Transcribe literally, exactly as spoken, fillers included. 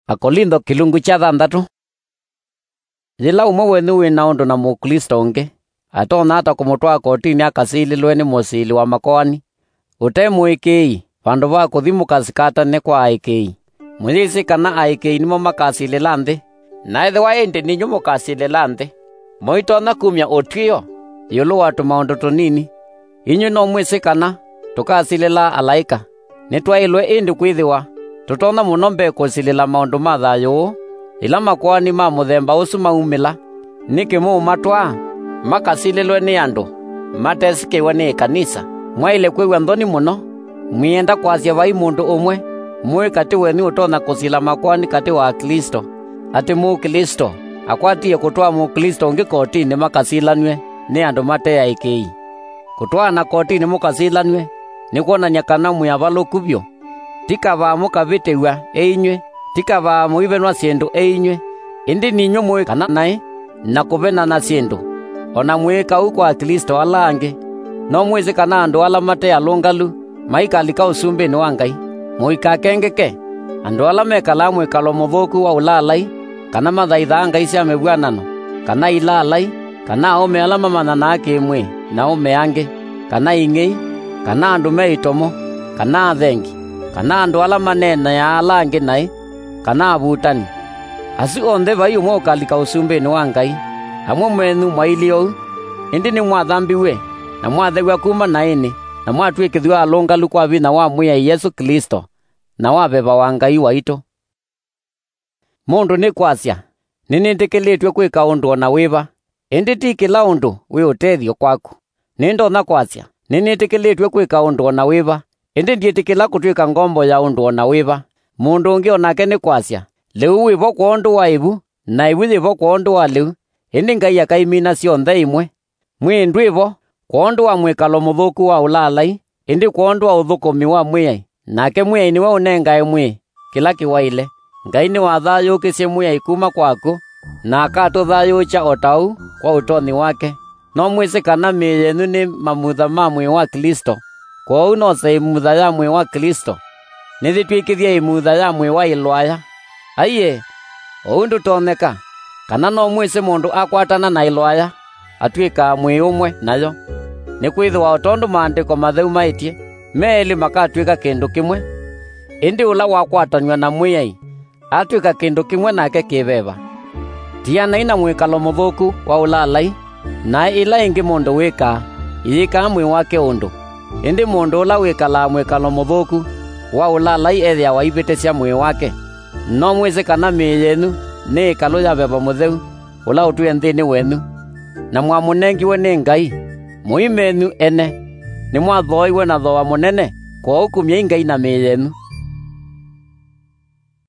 Akolintho kĩlungu kya thanthatũ. Yĩla ũmwe wenyu wĩ na ũndũ na Mũklĩsto ũngĩ, atonya ata kũmũtwaa kotinĩ akasilĩlwe nĩ mũsili wa makoani? Ũte mũĩkĩĩi, vandũ va kũthi mũkasikatane kwa aĩkĩĩi. Mũyĩsĩ kana aĩkĩĩi nĩmo makasilĩla nthĩ? Na ethĩwa ĩndĩ ninyw'ĩ mũkasilĩla nthĩ, mũitonya kumya ũtw'ĩo ĩũlũ wa tũmaũndũ tũnini? Inyw'ĩ no mwĩsĩ kana tũkasilĩla alaĩka. Nĩtwaĩlwe ĩndĩ kwĩthĩwa tũtonya mũno mbee kũsilĩla maũndũ ma thayũ ũũ, ĩla makoani ma mũthemba ũsu maumĩla. Nĩkĩ mũũmatwaa makasilĩlwe nĩ andũ matesĩkĩwe nĩ ĩkanisa? Mwaĩle kwĩw'a nthoni mũno mwĩenda kwasya vai mũndũ ũmwe mũĩ katĩ wenyu ũtonya kũsila makoani katĩ wa Aklĩsto, atĩ Mũklĩsto akwatie kũtwaa Mũklĩsto ũngĩ kotinĩ makasilanw'e nĩ andũ mate aĩkĩĩi. Kũtwaana kotinĩ mũkasilanw'e nĩ kwonany'a kana mwĩ avalũku vyũ. Ti kavaa mũkavĩtĩw'a ĩ inyw'ĩ, ti kavaa mũivenwa syĩndũ ĩ inyw'ĩ, ĩndĩ ninyw'ĩ mũĩ kana naĩ na kũvenana syĩndũ, o na mwĩĩka ũu kwa Aklĩsto ala angĩ. No mwĩsĩ kana andũ ala mate alũngalu maikalika ũsumbĩnĩ wa Ngai? Mũikakengeke. Andũ ala mekalaa mwĩkalo mũthũku wa ũlaalai, kana mathaithaa ngai sya mĩvw'anano, kana ilaalai, kana aũme ala mamanyanaa kĩ-mwĩĩ na aũme angĩ, kana ing'ei, kana andũ me itomo, kana athengi, kana andũ ala maneeneaa ala angĩ naĩ, kana avutani. Asu onthe vai ũmwe ũkalika ũsumbĩnĩ wa Ngai. Amwe menyu mwailyĩ ũu, ĩndĩ nĩmwathambiw'e, na mwathew'a kuma naĩnĩ, na mwatw'ĩkĩthw'a alũngalu kwa vinya wa Mwĩai Yesũ Klĩsto, na wa veva wa Ngai waitũ. Mũndũ nĩkwasya, "Nĩnĩtĩkĩlĩtw'e kwĩka ũndũ o na wĩva," ĩndĩ ti kĩla ũndũ wĩ ũtethyo kwaku. Nĩndonya kwasya, "Nĩnĩtĩkĩlĩtw'e kwĩka ũndũ o na wĩva," ĩndĩ ndyĩtĩkĩla kũtw'ĩka ngombo ya ũndũ o na wĩva. Mũndũ ũngĩ o nake nĩkwasya, "Lĩu wĩ vo kwondũ wa ĩvu, na ĩvu yĩ vo kwondũ wa lĩu, ĩndĩ Ngai akaimina syonthe ĩmwe." Mwĩĩ ndwĩ vo kwondũ wa mwĩkalo mũthũku wa ũlaalai, ĩndĩ kwondũ wa ũthũkũmi wa Mwĩai, nake Mwĩai nĩwe ũnengae mwĩĩ kĩla kĩwaĩle. Ngai nĩwathayũũkĩsye Mwĩai kuma kwa akw'ũ, na akatũthayũũkya o ta ũu kwa ũtonyi wake. No mwĩsĩ kana mĩĩ yenyu nĩ mamutha ma mwĩĩ wa Klĩsto? Kwoou no se ĩmutha ya mwĩĩ wa Klĩsto? Nĩyĩtw'ĩkĩthye ĩmutha ya mwĩĩ wa ĩlwaya? Aiee, ũu ndũtonyeka! Kana no mwĩsĩ mũndũ akwatana na ĩlwaya, atw'ĩkaa mwĩĩ ũmwe nayo? Nĩkwĩthĩwa o tondũ Maandĩko Matheu maĩtye, "Me elĩ makatw'ĩka kĩndũ kĩmwe." Ĩndĩ ũla wakwatanw'a na Mwĩai atw'ĩka kĩndũ kĩmwe nake kĩ veva. Tianai na mwĩkalo mũthũku wa ũlaalai. Naĩ ĩla ĩngĩ mũndũ wĩkaa, ĩyĩkaa mwĩĩ wake ũndũ, ĩndĩ mũndũ ũla wĩkalaa mwĩkalo mũthũku wa ũlaalai ethĩawa aivĩtĩsya mwĩĩ wake. No mwĩsĩ kana mĩĩ yenyu nĩ ĩkalũ ya Veva Mũtheu ũla ũtwĩe nthĩnĩ wenyu, na mwamũnengiwe nĩ Ngai? Mũimenyu ene nĩmwathooiwe na thooa mũnene, kwoou kumyai Ngai na mĩĩ yenyu.